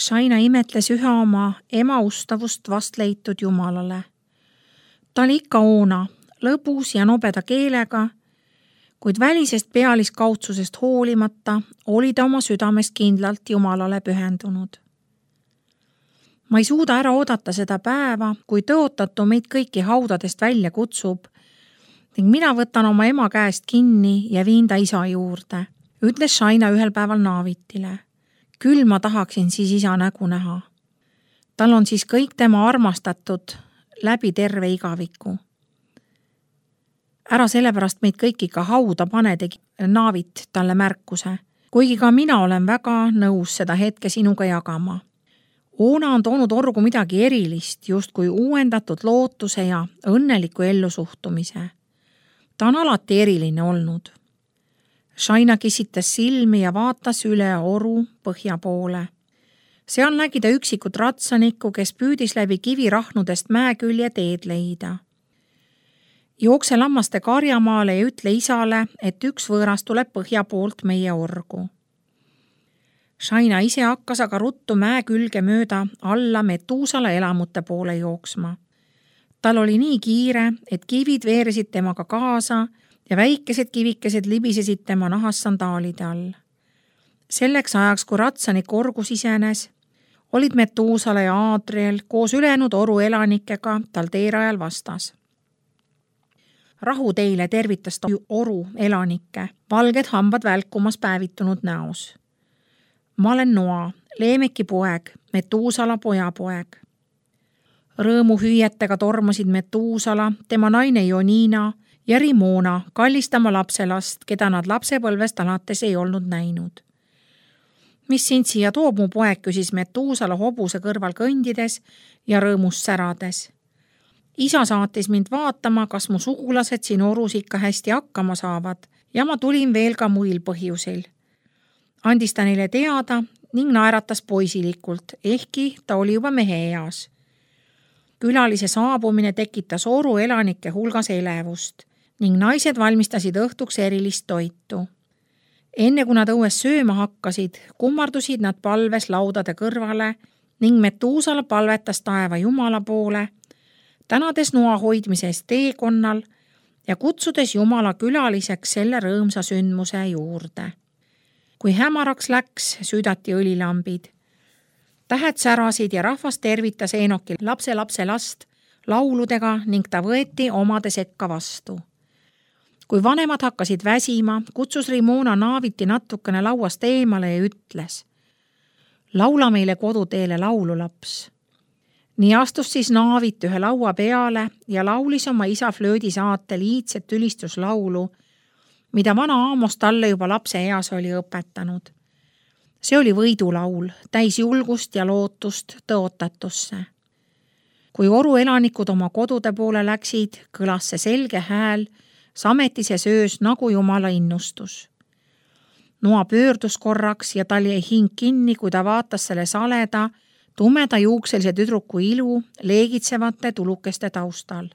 Shaina imetles ühe oma ema ustavust vast leitud jumalale. Ta oli ikka oona, lõbus ja nobeda keelega, kuid välisest pealiskaudsusest hoolimata oli ta oma südamest kindlalt jumalale pühendunud. Ma ei suuda ära oodata seda päeva, kui tõotatu meid kõiki haudadest välja kutsub ning mina võtan oma ema käest kinni ja viin ta isa juurde, ütles Shaina ühel päeval Naavitile. Küll ma tahaksin siis isa nägu näha. Tal on siis kõik tema armastatud läbi terve igaviku. Ära sellepärast meid kõik ikka hauda pane, tegi Naavit talle märkuse, kuigi ka mina olen väga nõus seda hetke sinuga jagama. Oona on toonud orgu midagi erilist, justkui uuendatud lootuse ja õnneliku ellusuhtumise. Ta on alati eriline olnud. Shaina kisitas silmi ja vaatas üle oru põhja poole. Seal nägi ta üksikut ratsanikku, kes püüdis läbi kivirahnudest mäekülje teed leida. Jookse lammaste karjamaale ja ütle isale, et üks võõras tuleb põhja poolt meie orgu. Shaina ise hakkas aga ruttu mäe külge mööda alla Metuusala elamute poole jooksma. Tal oli nii kiire, et kivid veeresid temaga kaasa ja väikesed kivikesed libisesid tema nahas sandaalide all. Selleks ajaks, kui ratsanik orgu sisenes, olid Metuusala ja Aadriel koos ülejäänud oru elanikega tal teerajal vastas. Rahu teile, tervitas ta oru elanikke, valged hambad välkumas päevitunud näos. Ma olen Noa, Leemeki poeg, Metuusala pojapoeg. Rõõmu hüüetega tormasid Metuusala, tema naine Jonina ja Rimona kallistama lapselast, keda nad lapsepõlvest alates ei olnud näinud. Mis sind siia toob, mu poeg, küsis Metuusala hobuse kõrval kõndides ja rõõmust särades. Isa saatis mind vaatama, kas mu sugulased siin orus ikka hästi hakkama saavad ja ma tulin veel ka muil põhjusil. Andis ta neile teada ning naeratas poisilikult, ehkki ta oli juba mehe eas. Külalise saabumine tekitas oru elanike hulgas elevust ning naised valmistasid õhtuks erilist toitu. Enne kui nad õues sööma hakkasid, kummardusid nad palves laudade kõrvale ning Metuusala palvetas taeva Jumala poole, tänades Noa hoidmise eest teekonnal ja kutsudes Jumala külaliseks selle rõõmsa sündmuse juurde. Kui hämaraks läks, süüdati õlilambid. Tähed särasid ja rahvas tervitas Enoki lapse last lauludega ning ta võeti omade sekka vastu. Kui vanemad hakkasid väsima, kutsus Rimona Naaviti natukene lauast eemale ja ütles: laula meile koduteele laulu, laps. Nii astus siis Naavit ühe laua peale ja laulis oma isa flöödi saatel iidset ülistuslaulu, mida vana Aamos talle juba lapse eas oli õpetanud. See oli võidulaul, täis julgust ja lootust tõotatusse. Kui oru elanikud oma kodude poole läksid, kõlas see selge hääl sametises öös nagu Jumala innustus. Noa pöördus korraks ja tal jäi hing kinni, kui ta vaatas selle saleda, tumeda juukselise tüdruku ilu leegitsevate tulukeste taustal.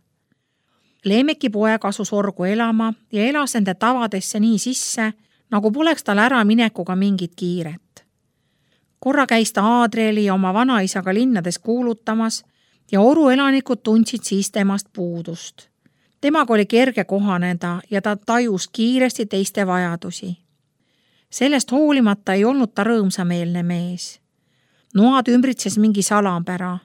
Leemeki poeg asus orgu elama ja elas nende tavadesse nii sisse, nagu poleks tal ära minekuga mingit kiiret. Korra käis ta Aadrieli ja oma vanaisaga linnades kuulutamas ja oru elanikud tundsid siis temast puudust. Temaga oli kerge kohaneda ja ta tajus kiiresti teiste vajadusi. Sellest hoolimata ei olnud ta rõõmsameelne mees. Noad ümbritses mingi salapära.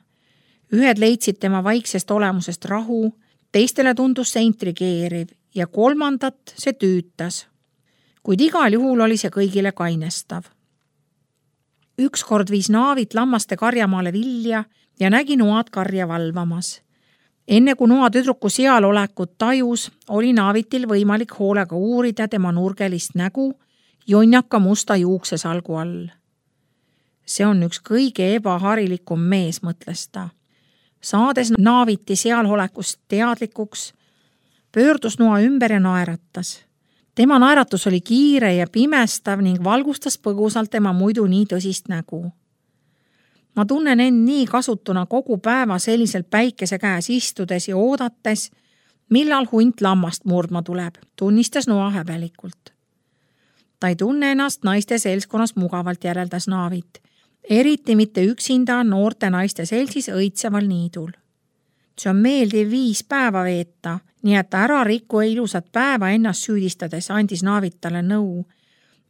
Ühed leidsid tema vaiksest olemusest rahu, teistele tundus see intrigeeriv ja kolmandat see tüütas. Kuid igal juhul oli see kõigile kainestav. Ükskord viis Naavit lammaste karjamaale vilja ja nägi Noad karja valvamas. Enne kui Noa tüdruku seal olekut tajus, oli Naavitil võimalik hoolega uurida tema nurgelist nägu jonnaka musta juuksesalgu all. See on üks kõige ebaharilikum mees, mõtles ta. Saades Naaviti sealolekust teadlikuks, pöördus Noa ümber ja naeratas. Tema naeratus oli kiire ja pimestav ning valgustas põgusalt tema muidu nii tõsist nägu. Ma tunnen end nii kasutuna kogu päeva selliselt päikese käes istudes ja oodates, millal hunt lammast murdma tuleb, tunnistas Noa häbelikult. Ta ei tunne ennast naiste seltskonnas mugavalt, järeldas Naavit, eriti mitte üksinda noorte naiste seltsis õitseval niidul. See on meeldiv viis päeva veeta, nii et ära rikku ilusat päeva ennast süüdistades andis Naavit talle nõu,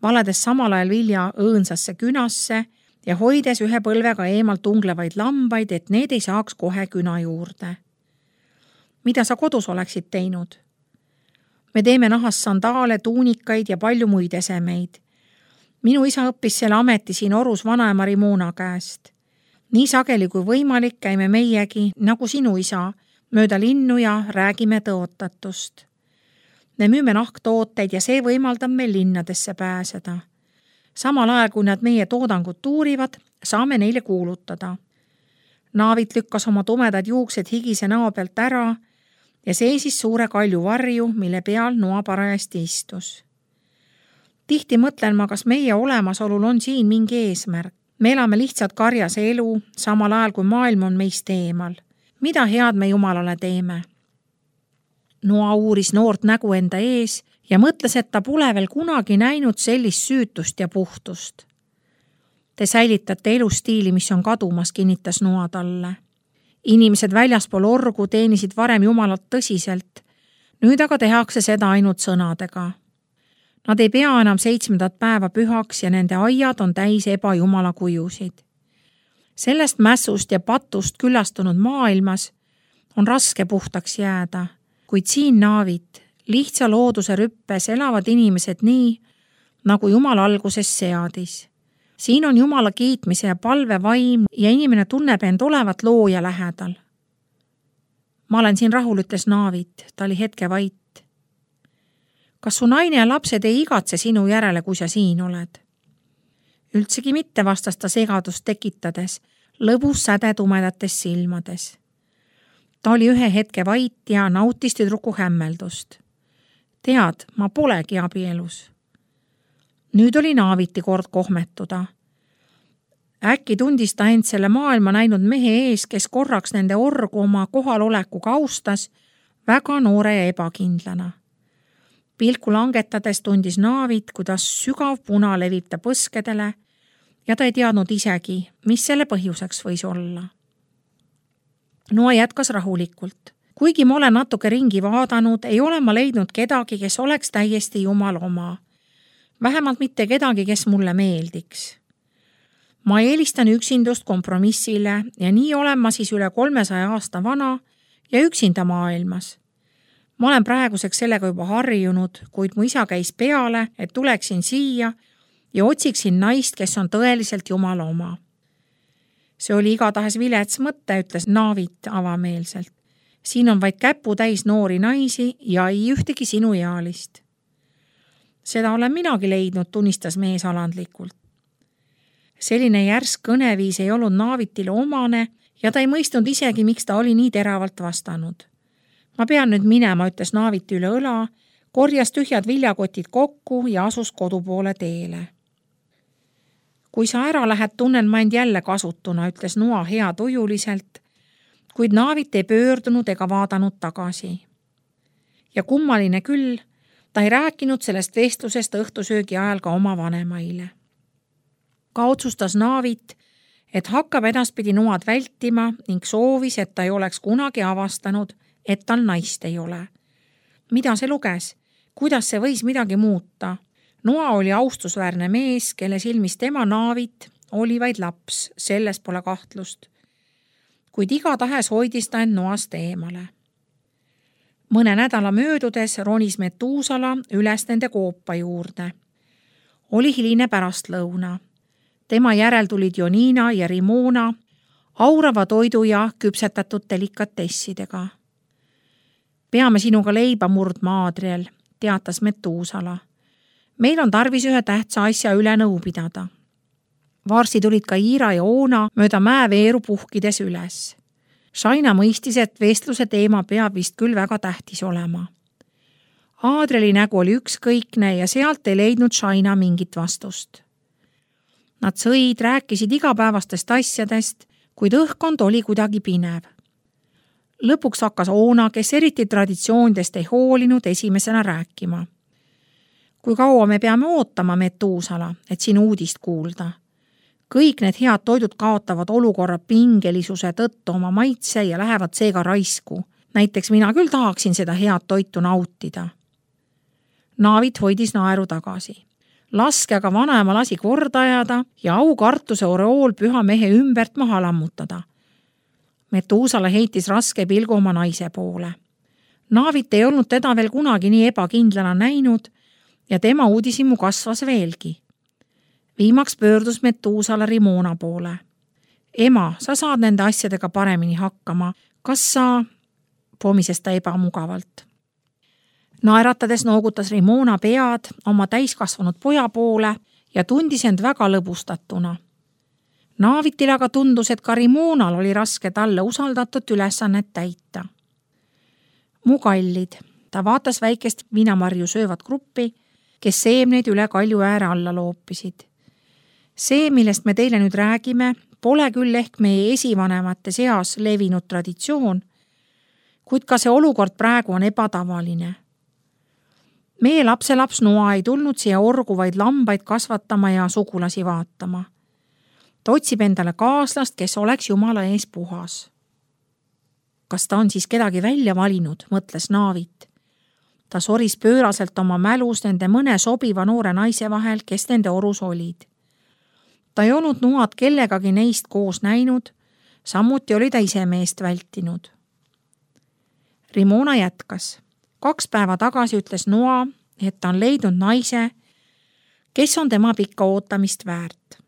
valedes samal ajal vilja õõnsasse künasse ja hoides ühe põlvega eemalt unglevaid lambaid, et need ei saaks kohe küna juurde. Mida sa kodus oleksid teinud? Me teeme nahast sandaale, tuunikaid ja palju muid esemeid. Minu isa õppis selle ameti siin Orus vanaema Rimona käest. Nii sageli kui võimalik käime meiegi, nagu sinu isa, mööda linnu ja räägime tõotatust. Me müüme nahktooteid ja see võimaldab meil linnadesse pääseda. Samal ajal, kui nad meie toodangut tuurivad, saame neile kuulutada. Naavit lükkas oma tumedad juuksed higise näo pealt ära ja seisis suure kalju varju, mille peal Noa parajasti istus. Tihti mõtlen ma, kas meie olemasolul on siin mingi eesmärk. Me elame lihtsalt karjas elu, samal ajal kui maailm on meist eemal. Mida head me Jumalale teeme? Noa uuris noort nägu enda ees ja mõtles, et ta pole veel kunagi näinud sellist süütust ja puhtust. Te säilitate elustiili, mis on kadumas, kinnitas Noa talle. Inimesed väljaspool orgu teenisid varem Jumalat tõsiselt, nüüd aga tehakse seda ainult sõnadega. Nad ei pea enam 7. päeva pühaks ja nende aiad on täis ebajumala kujusid. Sellest mässust ja patust küllastunud maailmas on raske puhtaks jääda, kuid siin Naavit, lihtsa looduse rüppes elavad inimesed nii, nagu Jumal alguses seadis. Siin on Jumala kiitmise ja palve vaim ja inimene tunneb end olevat looja lähedal. Ma olen siin rahul, ütles Naavit, ta oli hetke vait. Kas su naine ja lapsed ei igatse sinu järele, kui sa siin oled? Üldsegi mitte, vastas ta segadust tekitades, lõbus säde tumedates silmades. Ta oli ühe hetke vait ja nautis tüdruku hämmeldust. Tead, ma polegi abielus. Nüüd oli Naaviti kord kohmetuda. Äkki tundis ta end selle maailma näinud mehe ees, kes korraks nende orgu oma kohalolekuga austas, väga noore ja ebakindlana. Pilku langetades tundis Naavit, kuidas sügav puna levib ta põskedele ja ta ei teadnud isegi, mis selle põhjuseks võis olla. Noa jätkas rahulikult. Kuigi ma olen natuke ringi vaadanud, ei ole ma leidnud kedagi, kes oleks täiesti Jumal oma. Vähemalt mitte kedagi, kes mulle meeldiks. Ma eelistan üksindust kompromissile ja nii olen ma siis üle 300 aasta vana ja üksinda maailmas. Ma olen praeguseks sellega juba harjunud, kuid mu isa käis peale, et tuleksin siia ja otsiksin naist, kes on tõeliselt Jumala oma. See oli igatahes vilets mõte, ütles Naavit avameelselt. Siin on vaid käputäis noori naisi ja ei ühtegi sinu ealist. Seda olen minagi leidnud, tunnistas mees alandlikult. Selline järsk kõneviis ei olnud Naavitile omane ja ta ei mõistnud isegi, miks ta oli nii teravalt vastanud. Ma pean nüüd minema, ütles Naaviti üle õla, korjas tühjad viljakotid kokku ja asus kodupoole teele. Kui sa ära lähed, tunnen ma end jälle kasutuna, ütles Noa hea tujuliselt, kuid Naavit ei pöördunud ega vaadanud tagasi. Ja kummaline küll, ta ei rääkinud sellest vestlusest õhtusöögi ajal ka oma vanemaile. Ka otsustas Naavit, et hakkab edaspidi Noad vältima ning soovis, et ta ei oleks kunagi avastanud, et tal naist ei ole. Mida see luges? Kuidas see võis midagi muuta? Noa oli austusväärne mees, kelle silmis tema Naavit oli vaid laps, selles pole kahtlust. Kuid igatahes hoidis ta end Noast eemale. Mõne nädala möödudes ronis Metuusala üles nende koopa juurde. Oli hiline pärastlõuna. Tema järel tulid Jonina ja Rimona, aurava toidu ja küpsetatud delikatessidega. Peame sinuga leiba murdma, Aadriel, teatas Metuusala. Meil on tarvis ühe tähtsa asja üle nõu pidada. Varsti tulid ka Iira ja Oona mööda mäeveeru puhkides üles. Shaina mõistis, et vestluse teema peab vist küll väga tähtis olema. Aadrieli nägu oli ükskõikne ja sealt ei leidnud Shaina mingit vastust. Nad sõid, rääkisid igapäevastest asjadest, kuid õhkkond oli kuidagi pinev. Lõpuks hakkas Oona, kes eriti traditsioonidest ei hoolinud, esimesena rääkima. Kui kaua me peame ootama, Metuusala, et sinu uudist kuulda? kõik need head toidud kaotavad olukorra pingelisuse tõttu oma maitse ja lähevad seega raisku. Näiteks mina küll tahaksin seda head toitu nautida. Naavit hoidis naeru tagasi. Laske aga vanaema lasi korda ajada ja aukartuse oreool püha mehe ümbert maha lammutada. Metuusala heitis raske pilgu oma naise poole. Naavit ei olnud teda veel kunagi nii ebakindlana näinud ja tema uudishimu kasvas veelgi. Viimaks pöördus Metuusala Rimona poole. Ema, sa saad nende asjadega paremini hakkama. Kas sa... pomises ta ebamugavalt. Naeratades noogutas Rimona pead oma täiskasvanud poja poole ja tundis end väga lõbustatuna. Naavitil aga tundus, et ka Rimonal oli raske talle usaldatud ülesannet täita. Mu kallid, ta vaatas väikest viinamarju söövat gruppi, kes seemneid üle kalju ääre alla loopisid. See, millest me teile nüüd räägime, pole küll ehk meie esivanemate seas levinud traditsioon, kuid ka see olukord praegu on ebatavaline. Meie lapselaps Noa ei tulnud siia orgu vaid lambaid kasvatama ja sugulasi vaatama. Ta otsib endale kaaslast, kes oleks Jumala ees puhas. Kas ta on siis kedagi välja valinud, mõtles Naavit. Ta soris pööraselt oma mälus nende mõne sobiva noore naise vahel, kes nende orus olid. Ta ei olnud Noad kellegagi neist koos näinud, samuti oli ta ise meest vältinud. Rimona jätkas. 2 päeva tagasi ütles Noa, et ta on leidnud naise, kes on tema pikka ootamist väärt.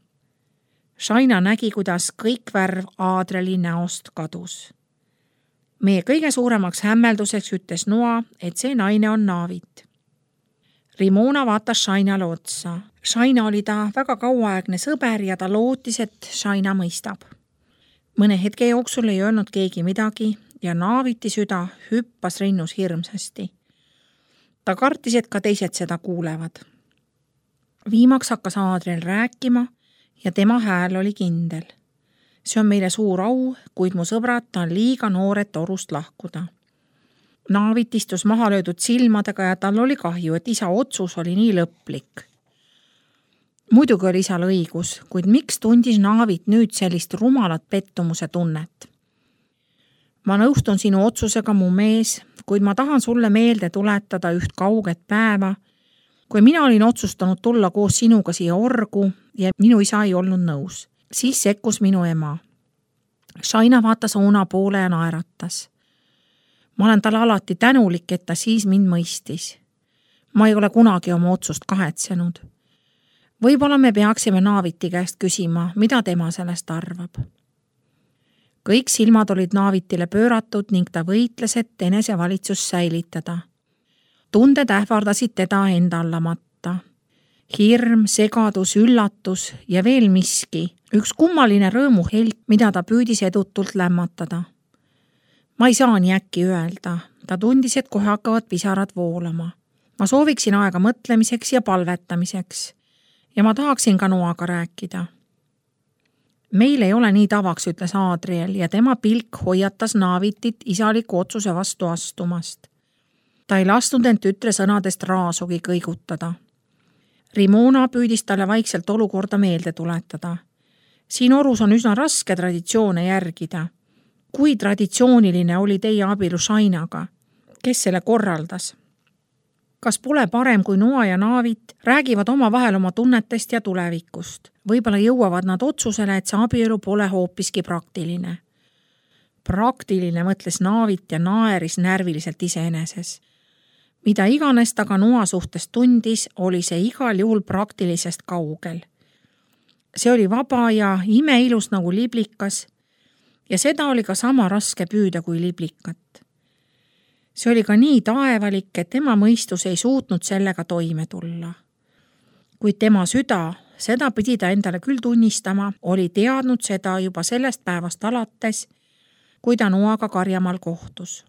Shaina nägi, kuidas kõik värv Aadrieli näost kadus. Meie kõige suuremaks hämmelduseks ütles Noa, et see naine on Naavit. Rimona vaatas Shainale otsa. Shaina oli ta väga kauaaegne sõber ja ta lootis, et Shaina mõistab. Mõne hetke jooksul ei öelnud keegi midagi ja Naaviti süda hüppas rinnus hirmsasti. Ta kartis, et ka teised seda kuulevad. Viimaks hakkas Aadriel rääkima ja tema hääl oli kindel. See on meile suur au, kuid mu sõbrad, ta on liiga noor, et orust lahkuda. Naavit istus maha löödud silmadega ja tal oli kahju, et isa otsus oli nii lõplik. Muidugi oli isal õigus, kuid miks tundis Naavit nüüd sellist rumalat pettumuse tunnet? Ma nõustun sinu otsusega, mu mees, kuid ma tahan sulle meelde tuletada üht kauget päeva, kui mina olin otsustanud tulla koos sinuga siia orgu ja minu isa ei olnud nõus. Siis sekkus minu ema. Shaina vaatas Oona poole ja naeratas. Ma olen talle alati tänulik, et ta siis mind mõistis. Ma ei ole kunagi oma otsust kahetsenud. Võib-olla me peaksime Naaviti käest küsima, mida tema sellest arvab. Kõik silmad olid Naavitile pööratud ning ta võitles, et enesevalitsus säilitada. Tunded ähvardasid teda enda allamatta. Hirm, segadus, üllatus ja veel miski, üks kummaline rõõmuhelt, mida ta püüdis edutult lämmatada. Ma ei saa nii äkki öelda, ta tundis, et kohe hakkavad pisarad voolama. Ma sooviksin aega mõtlemiseks ja palvetamiseks ja ma tahaksin ka Noaga rääkida. Meil ei ole nii tavaks, ütles Aadriel ja tema pilk hoiatas Naavitit isaliku otsuse vastu astumast. Ta ei lasknud end tütre sõnadest raasugi kõigutada. Rimona püüdis talle vaikselt olukorda meelde tuletada. Siin orus on üsna raske traditsioone järgida. Kui traditsiooniline oli teie abielu Shainaga? Kes selle korraldas? Kas pole parem, kui Noa ja Naavit räägivad omavahel oma tunnetest ja tulevikust? Võib-olla jõuavad nad otsusele, et see abielu pole hoopiski praktiline. Praktiline, mõtles Naavit ja naeris närviliselt iseeneses. Mida iganes ta ka Noa suhtes tundis, oli see igal juhul praktilisest kaugel. See oli vaba ja imeilus nagu liblikas ja seda oli ka sama raske püüda kui liblikat. See oli ka nii taevalik, et tema mõistus ei suutnud sellega toime tulla. Kuid tema süda, seda pidi ta endale küll tunnistama, oli teadnud seda juba sellest päevast alates, kui ta Noaga Karjamaal kohtus.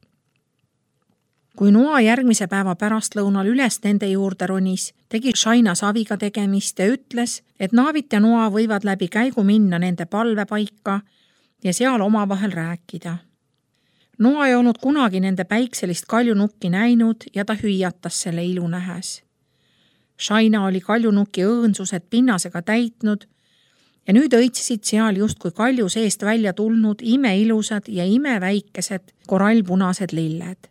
Kui Noa järgmise päeva pärastlõunal üles nende juurde ronis, tegi Shaina saviga tegemist ja ütles, et Naavit ja Noa võivad läbi käigu minna nende palvepaika ja seal omavahel rääkida. Noa ei olnud kunagi nende päikselist kaljunukki näinud ja ta hüüatas selle ilu nähes. Shaina oli kaljunukki õõnsused pinnasega täitnud ja nüüd õitsesid seal justkui kalju seest välja tulnud imeilusad ja imeväikesed korallpunased lilled.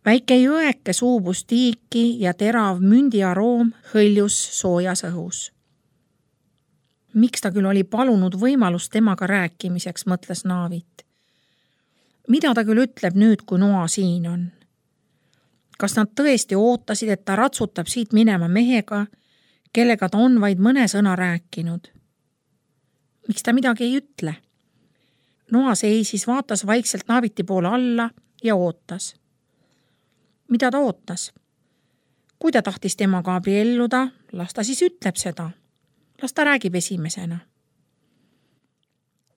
Väike jõeke suubus tiiki ja terav mündiaroom hõljus soojas õhus. Miks ta küll oli palunud võimalust temaga rääkimiseks, mõtles Naavit. Mida ta küll ütleb nüüd, kui Noa siin on? Kas nad tõesti ootasid, et ta ratsutab siit minema mehega, kellega ta on vaid mõne sõna rääkinud? Miks ta midagi ei ütle? Noa seisis, vaatas vaikselt Naaviti poole alla ja ootas. Mida ta ootas? Kui ta tahtis temaga abielluda, las ta siis ütleb seda. Las ta räägib esimesena.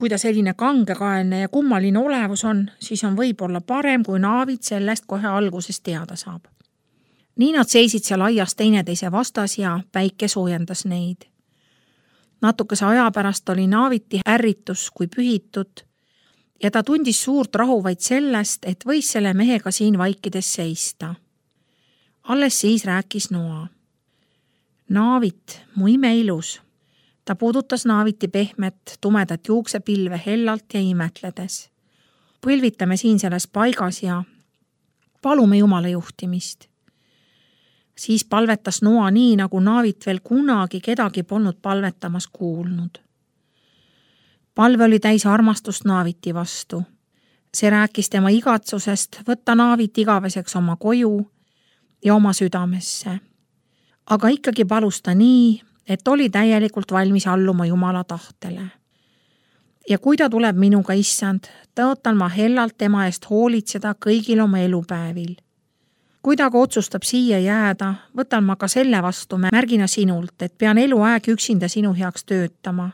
Kui ta selline kangekaelne ja kummaline olevus on, siis on võib-olla parem, kui Naavit sellest kohe alguses teada saab. Nii nad seisid seal aias teineteise vastas ja päike soojendas neid. Natukese aja pärast oli Naaviti ärritus kui pühitud ja ta tundis suurt rahu vaid sellest, et võis selle mehega siin vaikides seista. Alles siis rääkis Noa. Naavit, mu imeilus. Ta puudutas Naaviti pehmet, tumedat juuksepilve hellalt ja imetledes. Põlvitame siin selles paigas ja palume Jumala juhtimist. Siis palvetas Noa nii, nagu Naavit veel kunagi kedagi polnud palvetamas kuulnud. Palve oli täis armastust Naaviti vastu. See rääkis tema igatsusest võtta Naavit igaveseks oma koju ja oma südamesse. Aga ikkagi palus ta nii, et oli täielikult valmis alluma Jumala tahtele. Ja kui ta tuleb minuga, issand, tõotan ma hellalt tema eest hoolitseda kõigil oma elupäevil. Kui ta aga otsustab siia jääda, võtan ma ka selle vastu märgina sinult, et pean eluaeg üksinda sinu heaks töötama,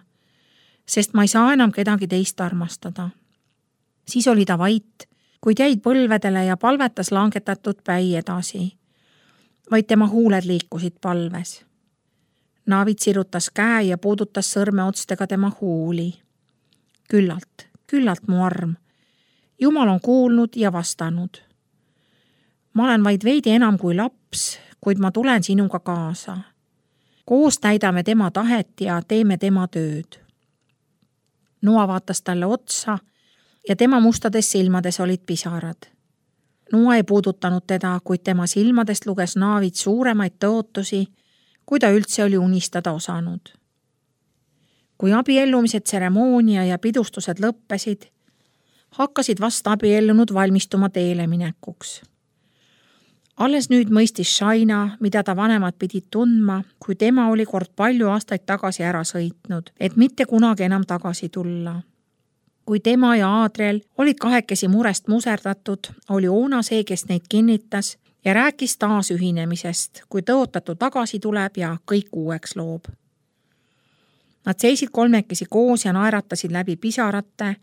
sest ma ei saa enam kedagi teist armastada. Siis oli ta vait, kuid jäid põlvedele ja palvetas langetatud päi edasi. Vaid tema huuled liikusid palves. Naavit sirutas käe ja puudutas sõrmeotstega tema huuli. Küllalt mu arm. Jumal on kuulnud ja vastanud. Ma olen vaid veidi enam kui laps, kuid ma tulen sinuga kaasa. Koos täidame tema tahet ja teeme tema tööd. Noa vaatas talle otsa ja tema mustades silmades olid pisarad. Noa ei puudutanud teda, kuid tema silmadest luges Naavit suuremaid tõotusi, kui ta üldse oli unistada osanud. Kui abiellumise tseremoonia ja pidustused lõppesid, hakkasid vast abiellunud valmistuma teele minekuks. Alles nüüd mõistis Shaina, mida ta vanemad pidid tundma, kui tema oli kord palju aastaid tagasi ära sõitnud, et mitte kunagi enam tagasi tulla. Kui tema ja Aadriel olid kahekesi murest muserdatud, oli Oona see, kes neid kinnitas ja rääkis taas ühinemisest, kui tõotatu tagasi tuleb ja kõik uueks loob. Nad seisid kolmekesi koos ja naeratasid läbi pisarate,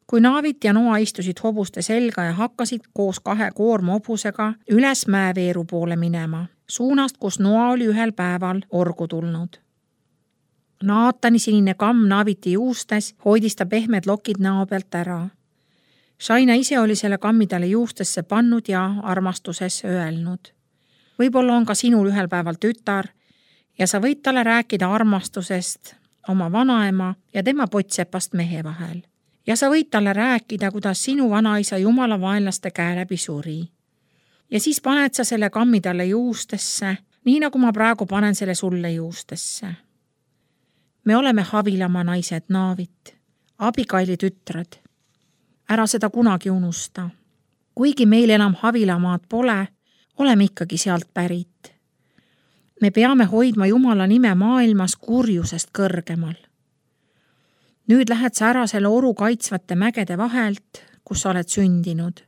kui Naavit ja Noa istusid hobuste selga ja hakkasid koos 2 koorma hobusega üles mäeveeru poole minema, suunast, kus Noa oli ühel päeval orgu tulnud. Naatani sinine kamm Naaviti juustes hoidis ta pehmed lokid näo pealt ära. Shaina ise oli selle kammi talle juustesse pannud ja armastuses öelnud. Võib-olla on ka sinul ühel päeval tütar ja sa võid talle rääkida armastusest oma vanaema ja tema pottsepast mehe vahel. Ja sa võid talle rääkida, kuidas sinu vanaisa Jumala vaenlaste käe läbi suri. Ja siis paned sa selle kammi talle juustesse, nii nagu ma praegu panen selle sulle juustesse. Me oleme Havilamaa naised, Naavit, abikaili tütred. Ära seda kunagi unusta. Kuigi meil enam Havilamaad pole, oleme ikkagi sealt pärit. Me peame hoidma Jumala nime maailmas kurjusest kõrgemal. Nüüd lähed sa ära selle oru kaitsvate mägede vahelt, kus sa oled sündinud.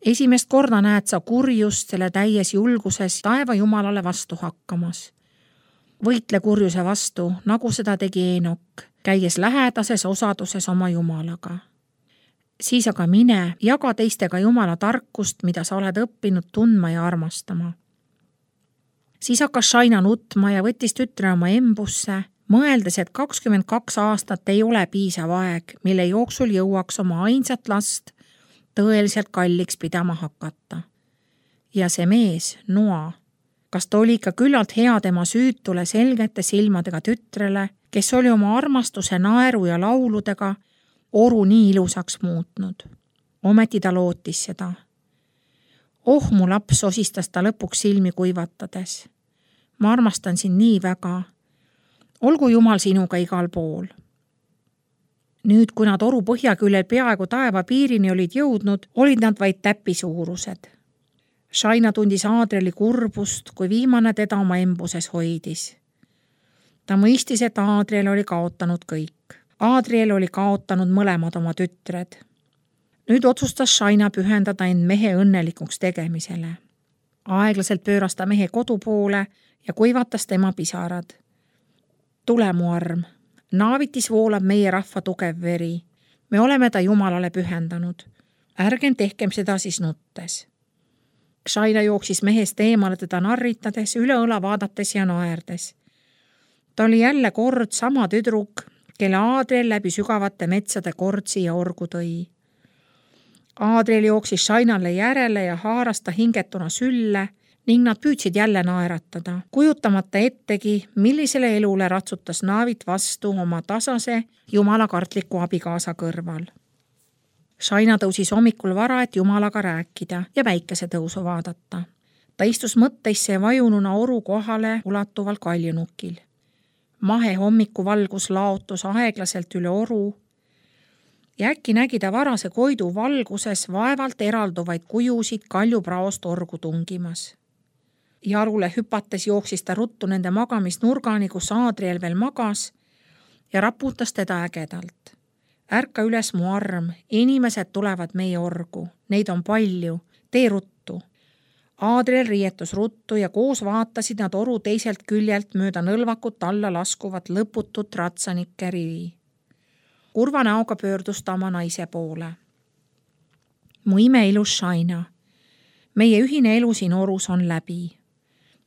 Esimest korda näed sa kurjust selle täies julguses taeva Jumalale vastu hakkamas. Võitle kurjuse vastu, nagu seda tegi Eenok, käies lähedases osaduses oma Jumalaga. Siis aga mine, jaga teistega Jumala tarkust, mida sa oled õppinud tundma ja armastama. Siis hakkas Shaina nutma ja võttis tütre oma embusse, mõeldes, et 22 aastat ei ole piisav aeg, mille jooksul jõuaks oma ainsat last tõeliselt kalliks pidama hakata. Ja see mees, Noa, kas ta oli ikka küllalt hea tema süütule selgete silmadega tütrele, kes oli oma armastuse naeru ja lauludega oru nii ilusaks muutnud. Ometi ta lootis seda. Oh, mu laps, osistas ta lõpuks silmi kuivatades. Ma armastan sind nii väga. Olgu Jumal sinuga igal pool. Nüüd, kui nad oru põhjaküljel peaaegu taeva piirini olid jõudnud, olid nad vaid täppisuurused. Shaina tundis Adrieli kurbust, kui viimane teda oma embuses hoidis. Ta mõistis, et Adriel oli kaotanud kõik. Adriel oli kaotanud mõlemad oma tütred. Nüüd otsustas Shaina pühendada end mehe õnnelikuks tegemisele. Aeglaselt pööras ta mehe kodu poole ja kuivatas tema pisarad. Tule, mu arm. Naavitis voolab meie rahva tugev veri. Me oleme ta Jumalale pühendanud. Ärgem tehkem seda siis nuttes. Shaina jooksis mehest eemale teda narritades, üle õla vaadates ja naerdes. Ta oli jälle kord sama tüdruk, kelle Adriel läbi sügavate metsade kordsi ja orgu tõi. Adriel jooksis Shainale järele ja haaras ta hingetuna sülle ning nad püüdsid jälle naeratada, kujutamata ettegi, millisele elule ratsutas Naavit vastu oma tasase jumalakartliku abikaasa kõrval. Shaina tõusis hommikul vara, et Jumalaga rääkida ja päikesetõusu vaadata. Ta istus mõtteisse vajununa oru kohale ulatuval kaljunukil. Mahe hommikuvalgus laotus aeglaselt üle oru ja äkki nägi ta varase koidu valguses vaevalt eralduvaid kujusid kaljupraost orgu tungimas. Jalule hüpates jooksis ta ruttu nende magamisnurgani, kus Adriel veel magas ja raputas teda ägedalt. Ärka üles, mu arm, inimesed tulevad meie orgu, neid on palju, tee ruttu. Adriel riietus ruttu ja koos vaatasid nad oru teiselt küljelt mööda nõlvakut alla laskuvat lõputut ratsanike rivi. Kurva näoga pöördus ta oma naise poole. Mu imeilus Shaina, meie ühine elu siin orus on läbi.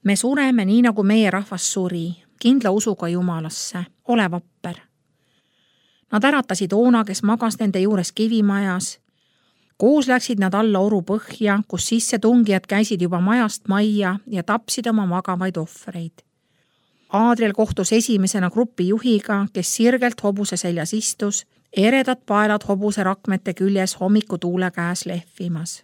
Me sureme nii, nagu meie rahvas suri, kindla usuga Jumalasse, ole vapper. Nad äratasid Oona, kes magas nende juures kivimajas. Koos läksid nad alla oru põhja, kus sisse tungijad käisid juba majast majja ja tapsid oma magavaid ohvreid. Adriel kohtus esimesena grupi juhiga, kes sirgelt hobuse seljas istus, eredad paelad hobuse rakmete küljes hommiku tuule käes lehvimas.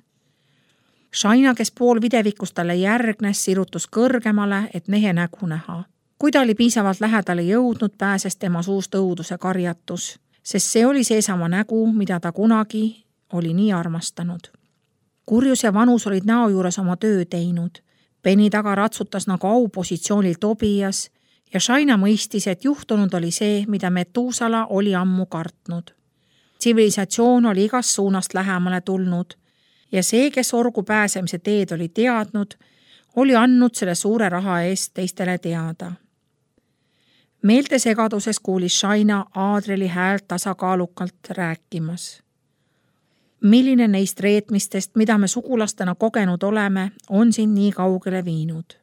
Shaina, kes pool videvikus talle järgnes, sirutus kõrgemale, et mehe nägu näha. Kui ta oli piisavalt lähedale jõudnud, pääses tema suust õuduse karjatus, sest see oli seesama nägu, mida ta kunagi oli nii armastanud. Kurjus ja vanus olid näo juures oma töö teinud. Peni taga ratsutas nagu aupositsioonil Tobias ja Shaina mõistis, et juhtunud oli see, mida Metusala oli ammu kartnud. Tsivilisatsioon oli igast suunast lähemale tulnud ja see, kes orgu pääsemise teed oli teadnud, oli andnud selle suure raha eest teistele teada. Meelte segaduses kuulis Shaina Adrieli häält tasakaalukalt rääkimas. Milline neist reetmistest, mida me sugulastena kogenud oleme, on sind nii kaugele viinud?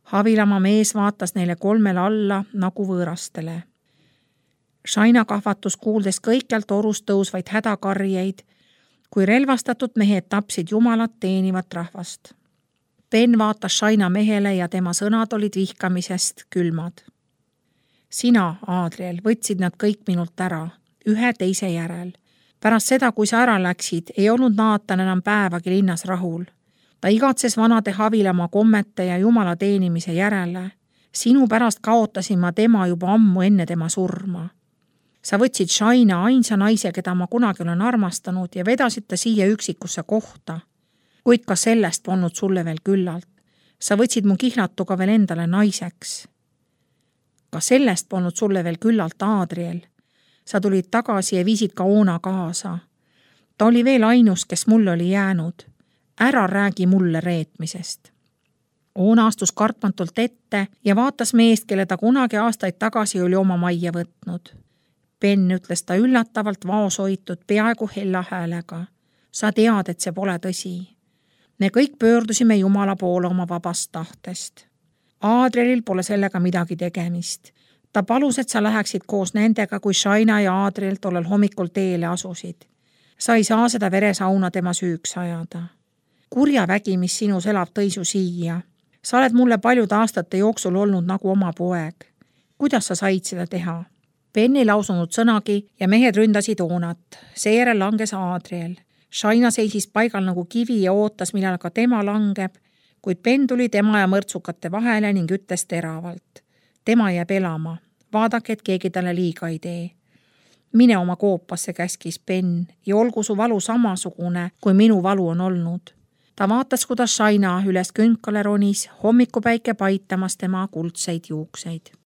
Havilama mees vaatas neile kolmele alla nagu võõrastele. Shaina kahvatus kuuldes kõikjalt orust tõusvaid hädakarjeid, kui relvastatud mehed tapsid Jumalat teenivat rahvast. Ben vaatas Shaina mehele ja tema sõnad olid vihkamisest külmad. Sina, Adriel, võtsid nad kõik minult ära, ühe teise järel. Pärast seda, kui sa ära läksid, ei olnud Naatan enam päevagi linnas rahul. Ta igatses vanade Havilama kommete ja Jumala teenimise järele. Sinu pärast kaotasin ma tema juba ammu enne tema surma. Sa võtsid Shaina, ainsa naise, keda ma kunagi olen armastanud ja vedasid ta siia üksikusse kohta. Kuid ka sellest polnud sulle veel küllalt. Sa võtsid mu kihlatuga veel endale naiseks. Ka sellest polnud sulle veel küllalt, Adriel. Sa tulid tagasi ja viisid ka Oona kaasa. Ta oli veel ainus, kes mulle oli jäänud. Ära räägi mulle reetmisest. Oona astus kartmatult ette ja vaatas meest, kelle ta kunagi aastaid tagasi oli oma majja võtnud. Ben, ütles ta üllatavalt vaosoitud peaaegu hella häälega. Sa tead, et see pole tõsi. Me kõik pöördusime Jumala poole oma vabast tahtest. Adrielil pole sellega midagi tegemist. Ta palus, et sa läheksid koos nendega, kui Shaina ja Adriel tollel hommikul teele asusid. Sa ei saa seda veresauna tema süüks ajada. Kurja vägi, mis sinus elab, tõi su siia. Sa oled mulle paljude aastate jooksul olnud nagu oma poeg. kuidas sa said seda teha? Ben ei lausunud sõnagi ja mehed ründasid Oonat. Seejärel langes Adriel. Shaina seisis paigal nagu kivi ja ootas, millal ka tema langeb, kuid Ben tuli tema ja mõrtsukate vahele ning ütles teravalt. Tema jääb elama. Vaadake, et keegi talle liiga ei tee. Mine oma koopasse, käskis Ben, ja olgu su valu samasugune, kui minu valu on olnud. Ta vaatas, kuidas Shaina üles künkale ronis, hommikupäike paitamas tema kuldseid juukseid.